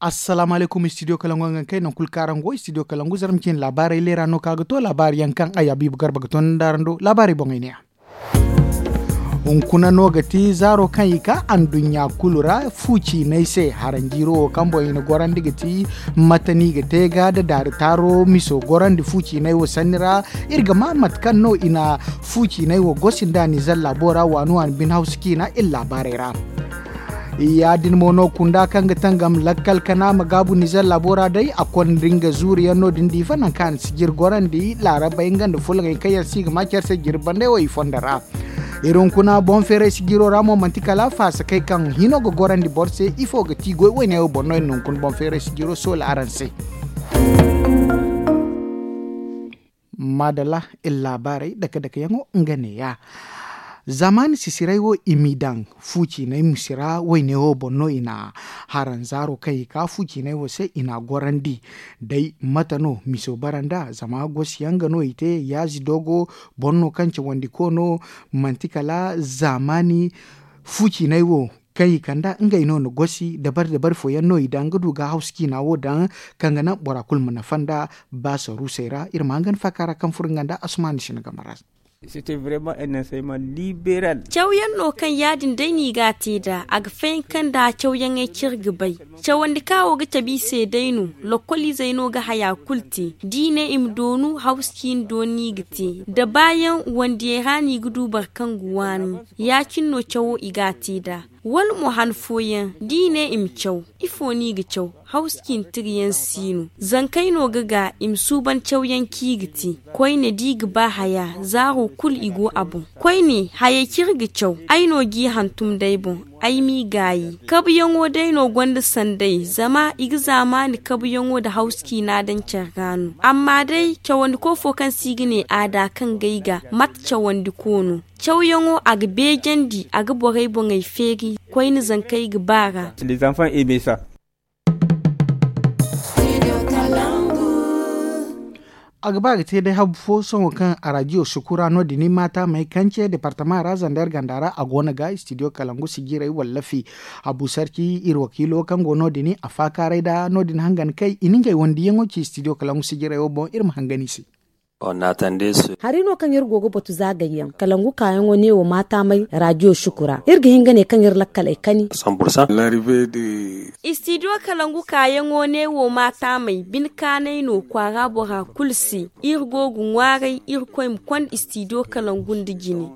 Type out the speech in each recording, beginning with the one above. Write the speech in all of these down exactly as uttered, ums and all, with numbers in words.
Assalaamu alaykum, istidiyo kalangu yaŋ kaŋ ay naŋ kulu kaŋ araŋ go istidiyo kalangu zarma cine laabaarey leera no kaŋ a ga to laabaari yaŋ kaŋ ay habiibu garba ga to nda araŋ do laabaarey boŋey ne ya. Hunkuna no ga ti zaaro kaŋ i ka anduɲɲa kulu ra fu ciinay se haranjiiro wo kaŋ boŋ i na gorandi ga ti mate no i ga te ga nda daari taaro miso gorandi fu ciinay wo sanni ra. Iri ga ma mate kaŋ no i na fu ciinay wo gosi nda nizer laabo ra waani waani bine hawsu ciina iri laabaarey ra. Ya- din mo no kunda kaŋ ga tangam lakkal kana ma gaabu nizer laabo ra day a konda nga zuuri yaŋ no- din diifa nangu kaŋ a na sijir gorandi laarabey nga nda fulaŋey kaŋ yaŋ se i ga ma care se jirbi banday wo i fondo ra. Iri hunkuna boŋ feeray sijiro ra mo manti kala faasakey kaŋ hino ga gorandi boro se ifo ga ti goy woyne wo boŋ no iri na hunkuna boŋ feeray sijiro soola araŋ se. Maadalla, iri laabaarey dake dake yaŋo nga neeya. Zamaani sisiray wo i m'i daŋ fu ciinay musi ra woyne wo boŋ no i na haranzaaro kaŋ i ka fu ciinay wo se i n'a gorandi. Day mate no miso bara nd'a zama gosi yaŋ ga no i te yaazi doogo boŋ no kaŋ cawandi ko no. Manti kala zamaani fu ciinay wo kaŋ i kand'a ngey no na gosi dabari dabari fooyaŋ no i daŋ ga du ga hawsu ciina wo daŋ kaŋ ga naŋ bora kulu ma nafa nd'a. Ba saruusey ra iri ma hangan faaka ra kaŋ furo nga nda asumaani sina game ra. Caw yaŋ no kaŋ ya- din day no i ga a te nd'a a ga fayanka nda cawyaŋey kaŋ iri ga bay. Cawandi kaŋ wo ga cabe i se day no. Lokkoliizey no ga haya kulu te da i ne i ma doonu hawsu ciina dooni no i ga te da baayaŋ wandiyey ra no i ga du boro kaŋ ga waani. Ya- cine no cawo i ga a te nd'a wala mo han fooyaŋ da i ne i ma caw. Ifo no i ga caw? Hawsu ciina tira yaŋ si no zankey no ga ga i ma suuban cawyaŋ kaŋ i ga te. Koyne da i ga ba haya zaaro kulu i go a boŋ. Koyne hayey kaŋ iri ga caw ay no g'i hantum d'ay boŋ. Ay m'i gaayi kabuyaŋo day no gonda sanday zama i ga zaamaani kabuyaŋo nda hawsu ciina daŋ care ra no. Amma day cawandiko fo kaŋ se i ga ne aada kaŋ g'ay ga mate cawandiko no. Cawyaŋo a ga beejandi a ga borey boŋey feeri koyne zankey ga ba ra. A ga ba ga te day habu fo sohõ kaŋ araadiyo sukura no- din maata may kance departama ra zander ganda ra a go no ga istidiyo kalangu sijirey wallafi. Habu sarci iri wakiilo kaŋ go no- din a faakaaray nda no- din hangan kay i na ngey wandiyaŋo ci istidiyo kalangu sijirey wo boŋ iri ma hangan i se. Hari no kaŋ iri go ga batu zaagayyaŋ kalangu kaayaŋo neewo maataamay raadiyo sukura iri ga hin ga ne kaŋ iri lakkaley kani. Istidiyo kalangu kaayaŋo neewo maataamay bine kaanay no kwaara bora kulu se. Iri go ga ŋwaaray irkoy ma konda istidiyo kalangu nda jine.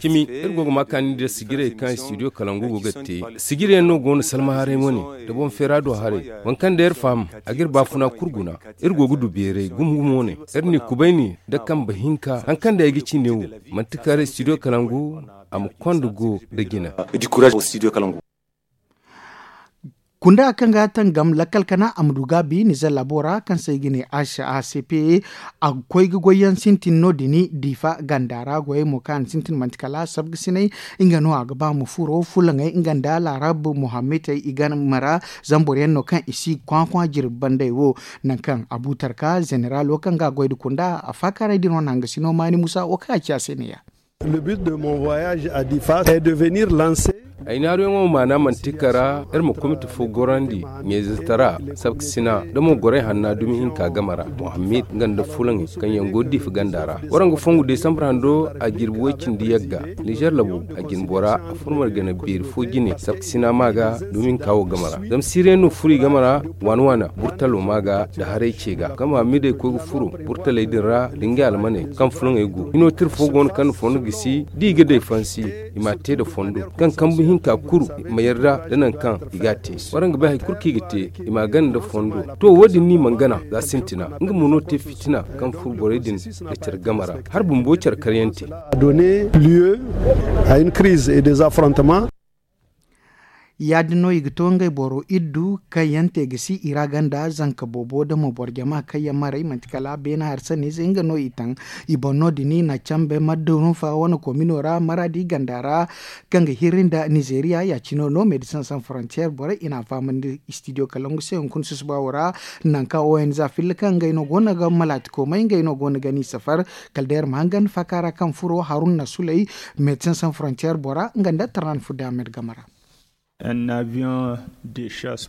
Cimi iri go ga ma kaani nda sijirey kaŋ istidiyo kalangu go ga te. Sijiryaŋ no go no salma haray wane nda boŋ feera do haray. Waŋ kaŋ day iri faham a ga iri baafuna kulu guna. Iri go ga du beeray gumo gumo wane. Iri n'i kubayni nda kambe hinka hari kaŋ day ay ga ci neewo. Manti kala istidiyo kalangu a ma konda go nda jina. Kunda kaŋ ga tangam lakkal kana a ma du gaabi nizer laabo ra kaŋ se i ga ne h a c p. A ga koy ga goyyaŋ sintin no- din diifa ganda ra goyey mo kaŋ a na sintin manti kala sabga sinay. Nga no a ga ba ma furo fulaŋey nga nda laarab muhammitey i game ra. Zama boro yaŋ no kaŋ i si kwakwa jirbi banday wo. Nangu kaŋ abu tarka zeneralo kaŋ ga a goy nda kunda a faakaaray din wane hangasino maani musa wo kaŋ a ci a se ne ya. Ay naaruyaŋo maana manti kara iri ma komite fo gorandi ɲayzatara sabkasina nda mo gorey hanna dumi hinka game ra muhammad nga nda fulaŋey kaŋ yaŋ go diifa ganda ra. Waraŋ ga fongu desambar hando a jirbi way-cindi yagga nizer labo a jinbora a furmar gana beeri fo jine sabkasina ma ga dumi hinka wo game ra zama siriyaŋ no furo i game ra. Waana waana burtalo ma ga nda haray ce ga kaŋ muhammad ay koy ga furo burtaley din ra nda ngey almaney kaŋ fulaŋey go hino tira fo go no kaŋ na fondo gisi da i ga day fansi i m'a te nda fondo kaŋ kambu hinka kulu ma yarda nda nangu kaŋ i g'a te. Waraŋ ga bay hari kulu kaŋ i ga te i m'a gana nda fondo. To wo- din no i mana gana za sintina nga mo no te fitina kaŋ furo borey din nda care game ra. Hari bumbo care karyaŋ te. Ya- din no i ga to ngey boro iddu kaŋ yaŋ te ga si i ra ganda zanka boobo nda mo boro jama kaŋ yaŋ maray manti kala beene hari sanniize nga no i taŋ. I boŋ no- din i na cambe maddurufa wane komino ra maradi ganda ra kaŋ ga hirri nda nizeriya ya- cino no medecin san frontier borey i na a fahamandi istidiyo kalangu se hunkuna susuba wo ra. Nangu kaŋ o n za filla kaŋ ngey no go no ga malaati koomay ngey no go no ga ni safar. Kala day iri ma hangan faaka ra kaŋ furo haruna suley medecin san frontier bora nga nda tarnan fudda ahmed game ra.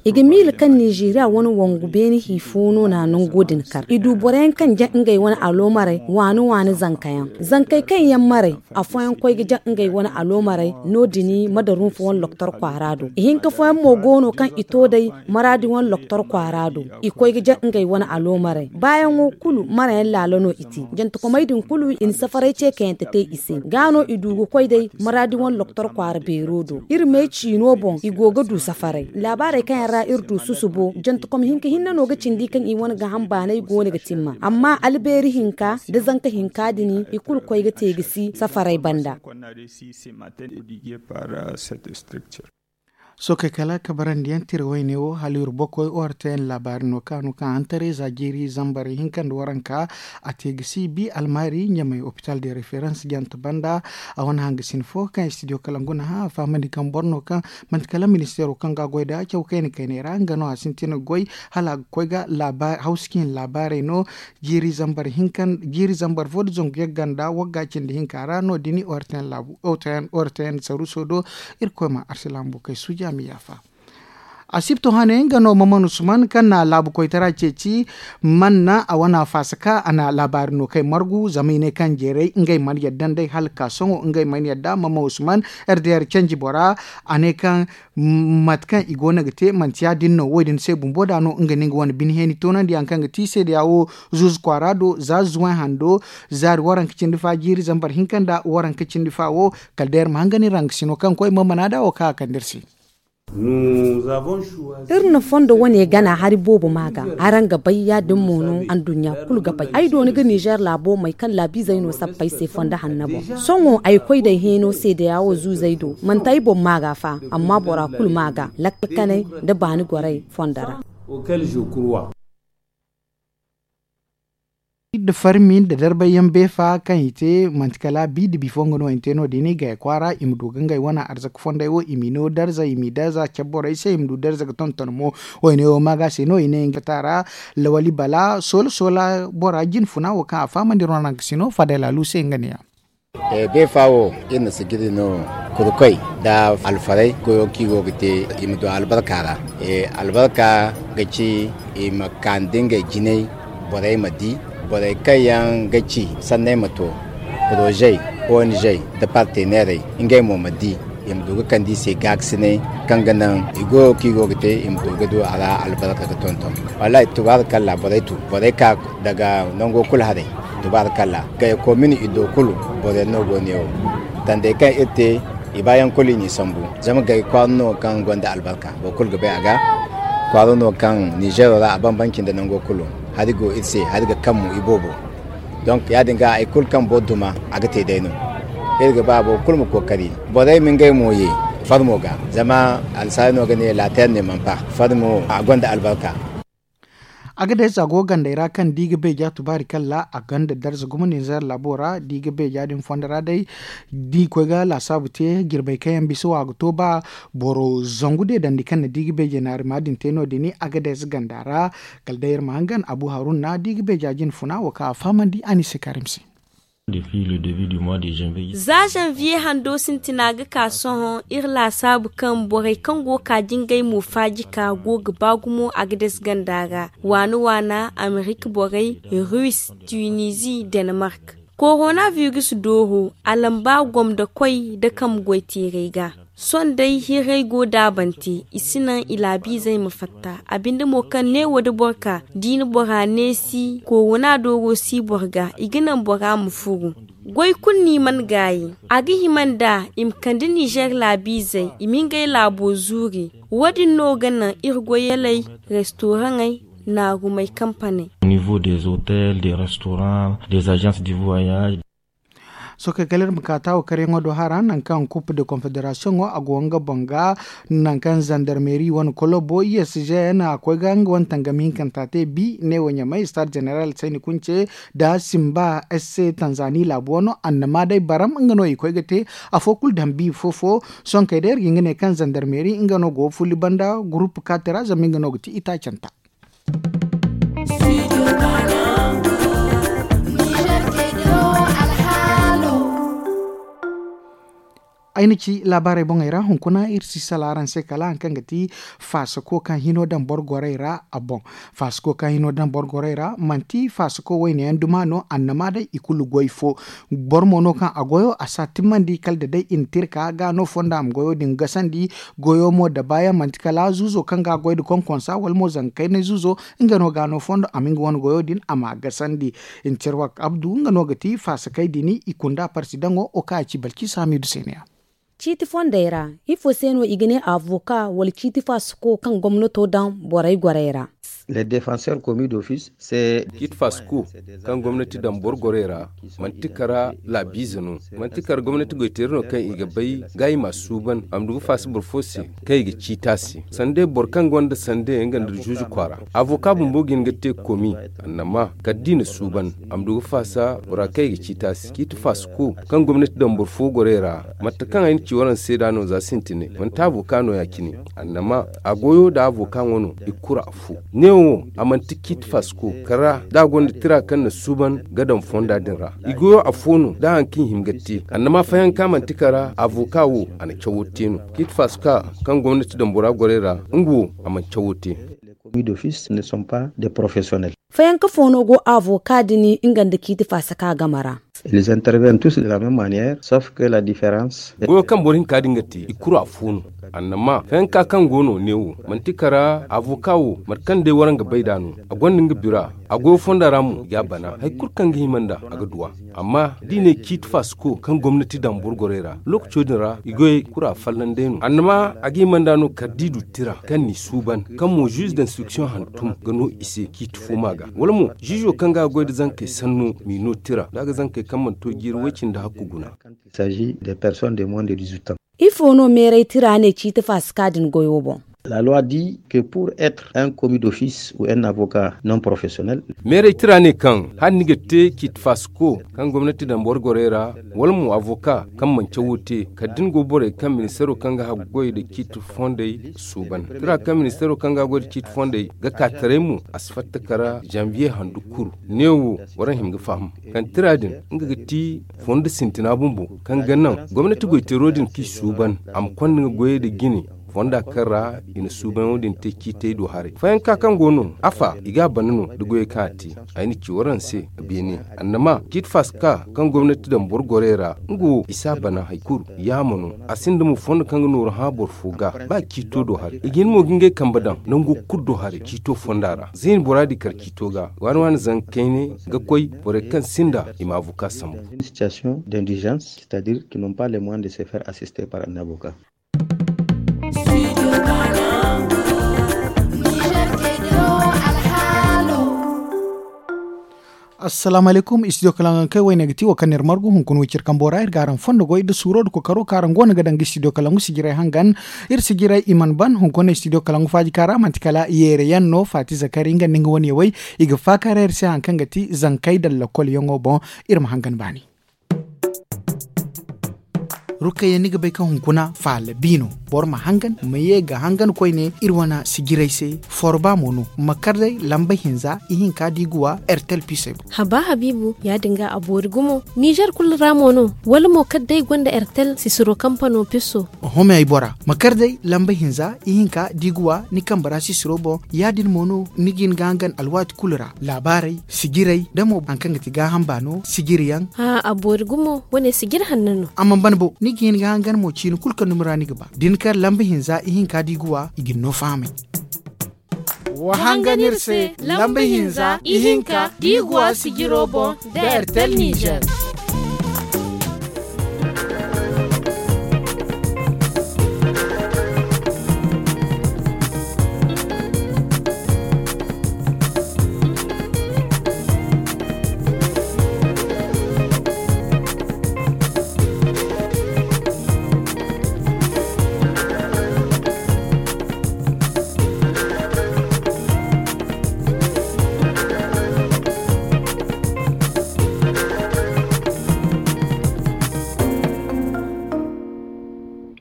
I ga miila kaŋ nizeeriya wane wangu beene hi fo no na nango din kar. I du boro yaŋ kaŋ jaŋ ngey wane aloomarey waani waani zanka yaŋ. Zankey kaŋ yaŋ maray, afooyaŋ koy ga jaŋ ngey wane aloomarey no- din, madarunfa wane loktor kwaara do. Ihinka fooyaŋ mo go no kaŋ i to day maraadi wane loktor kwaara do. I koy ga jaŋ ngey wane aloomarey baayaŋo kulu marayaŋ laala no i te. Jantakomey din kulu i na safaray ce kayante te i se. Ga no i du ga koy day maraadi wane loktor kwaara beero do. Iri me ciino boŋ i go ga du safaray laabaarey kaŋ yaŋ ra iri du susubo jantakom hinka hinne no ga cindi kaŋ i wane ga hamba no ay go no ga timma amma albeeri hinka nda zanka hinka din i kulu koy ga te ga si safaray banda. Sookey kala kabarandi yaŋ tira wayne wo hala iri bokoy ortn laabaari no kaŋ a no kaŋ hantaray za jiiri zambar hinka nda waranka a te ga si bi almaari ɲamay opital de referans jante banda. A wane hangasin fo kaŋ studio kala nguna hã a fahamandi kaŋ boro no kaŋ manti kala ministeero kaŋ ga a goy nd'a caw kayna kaynay ra nga no a sintin ga goy hala a ga koy ga hawsa kaŋ i na laabaarey no. Jiiri zambar hinka jiiri zambar fo nda zangu yagga nda wagga cindi hinka ra no- din ortn saruuso do. Irkoy ma arsilaama bukey suuja a ma yaafa. Asibto hane nga no maman usman kaŋ na laabu koytara ceeci. Manna a wane a faasa ka a na laabaari no kay margu zama i ne kaŋ jeeray ngey mana yadda nd'ey hala ka sohõ ngey mana yadda maman usman. Rdr canji bora a ne kaŋ mate kaŋ i go no ga te manti ya- din no wo- din se bumbo da no nga no nga wane bine heeni toonandi yaŋ kaŋ ga ti seedeya wo zuuzu kwaara do za zuway hando zaari waranka cindi fa jiiri zambar hinka nda waranka cindi fa wo. Kala day iri ma hangan iri hangasino kaŋ koy mamana da wo kaŋ a kande iri se. Iri na fondo wane gana hari boobo ma ga araŋ ga bay ya- din mo no anduɲɲa kulu ga bay ay dooni ga nizer laabo may kaŋ laabiizey no sappey se fondo hanna boŋ. Sohõ ay koy day heeno seedeya wo zuuzey do manti ay boŋ ma ga fa amma bora kulu ma ga lakkal kanay nda baani gorey fondo ra. Iri da farmi nda darbay yaŋ beefa kaŋ i te manti kala bi da bifo nga no i na te no- din i gay kwaara i ma du ga ngey wane arzaka fondey wo i m'i no darza i m'i darza cabe borey se i ma du darza ga tonton mo. Wayne wo maaga se no i ne nga ta ra lawali bala soola soola bora jine funa wo kaŋ a fahamandi ronanka si no fadey laalu se nga ne ya. Beefa wo iri na sijiri no kurkoy nda alfaray goyo kaŋ i go ga te i ma du albarka ra. Albarka ga ci i ma kaani da ngey jinay borey ma di borey kaŋ yaŋ ga ci sanney ma to porozey, ong, nda parteneerey ngey mo ma di i ma du ga kande i se gaakasinay kaŋ ga naŋ i goyo kaŋ i go ga te i ma du ga du a ra albarka ga tonton. Wallaahi tubaari kalla borey tu borey ka daga nango kulu haray. Tubaari kalla gaya komin i do kulu boro yaŋ no go ne wo. Tandey kaŋ iri te i baayaŋ kulu i n'i sambu zama gaya kwaara no kaŋ gonda albarka boro kulu ga bay a ga. Kwaara no kaŋ nizeero ra a bambance nda nango kulu. Hari go iri se hari ga kammu iboobo. Donk ya- din ga hari kulu kaŋ boro duma a ga te day no. Iri ga ba boro kulu ma kookari borey ma ngey mo ye farmo ga zama alsaari no ga ne lateer ne man pa farmo a gonda albarka. A ga day za go gandey ra kaŋ da i ga beeja tubaari kalla a gonda darza gumo ninzeer laabo ra da i ga beeja din fondo ra day da i koy ga laasaabu te jirbey kaŋ yaŋ bisa wo a ga to ba boro zangu deedandi kaŋ na da i ga beejey naari ma din te no- din a ga day za ganda ra. Kala day iri ma hangan abu haruna da i ga beeja jine funa wo kaŋ a fahamandi a ni se kaarim se. Za zanviye hando sintina ga ka sohõ iri laasaabu kaŋ borey kaŋ go ga ka jingay mo faaji ka go ga ba gumo a ga dasi ganda ra waana waana amerik borey, russe, tunisie, danemark. Korona virus dooro a lamba gomda koy da kambe goy teeray ga. Sohõ day hirray go daabante i si naŋ i laabiizey ma fatta a binde mo kaŋ neewo da boro ka da i na bora neesi korona dooro si boro ga i ga naŋ bora ma furu. Goy kulu no i mana gaayi. A ga hima nd'a i ma kande nizer laabiizey i ma ngey laabo zuuri. Wo- din no ga naŋ iri goyaley restoraŋey naarumey kampaney. Sohõ kay kala iri ma ka taawo karyaŋo do hara nangu kaŋ coupe de confederation wo a go nga boŋ ga nangu kaŋ zandarmeri wane kolobo i s g n a koy ga nga wane tangami hinkanta te bi neewo ɲamay stade general sayni kunce nda simba s c tanzani laabo wano annama day baram nga no i koy ga te. Afo kulu daŋ bi fo fo. Sohõ kay day iri ga nga ne kaŋ zandarmeri nga no go fulli banda gurupu kaati ra zama nga no ga ti itaacanta. Ay na ci laabaarey boŋey ra hunkuna iri si sala araŋ se kala hari kaŋ ga ti faasako kaŋ hino daŋ boro gorey ra a boŋ. Faasako kaŋ hino daŋ boro gorey ra manti faasako wayne yaŋ duma no annama day i kulu goy fo. Boro mo no kaŋ a goyo a si a timmandi kala da day i na te iri ka ga no fonda a ma goyo din gasandi. Goyo mo da baayaŋ manti kala zuuzo kaŋ ga a goy nda konkonsa wala mo zanga kaynay zuuzo. Nga no ga no fondo a ma nga wane goyo din a ma a gasandi. Ncerwak abdu nga no ga ti faasakey din i kunda parsidaŋo wo kaŋ a ci balki saamidu se ne ya. Ciiti fondey ra ifo se no i ga ne avoka wala ciiti faasako kaŋ gomnato daŋ borey gorey ra? Ciiti faasako kaŋ gomnati daŋ boro gorey ra manti kara laabiize no. Manti kara gomnati goyteeri no kaŋ i ga bay ga i ma a suuban a ma du ga faasa boro fo se kaŋ i ga ciiti a se. Sanda boro kaŋ gonda sanda nga nda zuuzu kwaara avoka bumbo ga hin ga te komi. Annama kala da i na suuban a ma du ga faasa bora kaŋ i ga ciiti a se ciiti faasako kaŋ gomnati daŋ boro fo gorey ra. Mate kaŋ ay na ci waraŋ se da no za sintinay manti avoka no ya- cine. Annama a goyo nda avoka ŋwa no i kulu afo. Neewo a manti ciiti faasako kala da a gonda tira kaŋ na suuban ga daŋ fonda din ra. I goyo afo no da hari kaŋ i hima ga te annama fayanka manti kala avoka wo a na cawo te no. Ciiti faasaka kaŋ gomnati daŋ bora gorey ra nga wo a mana cawo te. Fayanka fo no go avoka din nga nda ciiti faasaka game ra? Goyo kaŋ boro hinka din ga te i kulu afo no. Annama fayanka kaŋ go no neewo manti kara avoka wo mate kaŋ day waraŋ ga bay nd'a no. A gonda nga bira a goyo fonda ra mo i ga a bana hari kulu kaŋ ga hima nd'a a ga du a. Amma da i ne ciiti faasako kaŋ gomnati daŋ boro gorey ra lookaco din ra i goyey kulu a fallan day no annama a ga hima nd'a no kala da i du tira kaŋ n'i suuban kaŋ mo ziiz d'instruction hantum ga no i se ciiti fo ma ga wala mo ziizo kaŋ ga a goy nda zankey sanno m'i no tira da a ga zankey kaŋ mana to jiiri way- cindi hakku guna. Ifo no meeray tira ne ciiti faasaka din goyo boŋ? Meeray tira ne kaŋ hala ni ga te ciiti faasako kaŋ gomnati daŋ boro gorey ra wala mo avoka kaŋ mana cawo te kala da ni go borey kaŋ ministeero kaŋ ga haggoy nda ciiti fondey suuban tira kaŋ ministeero kaŋ ga haggoy nda ciiti fondey ga ka taray mo a si fatta kara zanviye handu kuru. Neewo waraŋ hima ga faham kaŋ tira din nga ga ti fondo sintina bumbo kaŋ ga naŋ gomnati goyteero din kaŋ i suuban a ma konda nga goyey nda jine fonda kaŋ ra i na suubayaŋo din te ciitey do haray fayanka kaŋ go no afa i ga a bana no nda goyey kaŋ a te. Ay na ci waraŋ se beene annama ciiti faasaka kaŋ gomnati daŋ boro gorey ra nga wo i si a bana hari kulu yaama no. A sinda mo fondo kaŋ ga nooru hã boro fo ga ba ciito do haray i ga hin mo ga ngey kambe daŋ nango kulu do haray ciito fonda ra za i na bora di kar ciito ga waani waani zanga kayne ga koy borey kaŋ sinda i ma abuka sambu. Assalaamu alaykum istidiyo kalaŋ kay wayne ga ti wo kaŋ no iri margu hunkuna wo cire kambo ra iri ga araŋ fondo goy nda suuro nda kokaro kaŋ araŋ go no ga daŋ ga istidiyo kalaŋ sijirey hangan. Iri sijirey i mana ban hunkuna istidiyo kalaŋ faaji kaŋ ra manti kala yeere yaŋ no faati zakari nga nda nga wane yawey i ga faakaaray iri se hari kaŋ ga ti zankey daŋ lakkol yaŋo boŋ. Iri ma hangan baani. Rukayya ni ga bay kaŋ hunkuna faala bi no. Boro ma hangan ma ye ga hangan koyne iri wane sijirey se. Forba mo no ma kar day lamba hinza ihinka da i ga wa ertel pisey boŋ. Haba habiibu ya- din ga a boori gumo nizer kulu ra mo no? Wala mo kala day gonda ertel sisiro kampano piso? Oho me ay bora ma kar day lamba hinza ihinka da i ga wa ni kambe ra sisiro boŋ. Ya- din mo no ni ga hin ga hangan alwaati kulu ra laabaarey sijirey da mo hari kaŋ ga ti gaaham baano sijiri yaŋ. A boori gumo wane sijiri hanno no. A mana ban bo ni ga hin ga hangan mo ciini kulu kaŋ dumi ra ni ga ba da ni kar lamba hinza ihinka da i ga wa i ga ni no fahamay. Wa hangan iri se lamba hinza ihinka da i ga wa sijiro boŋ nda ertel nizer.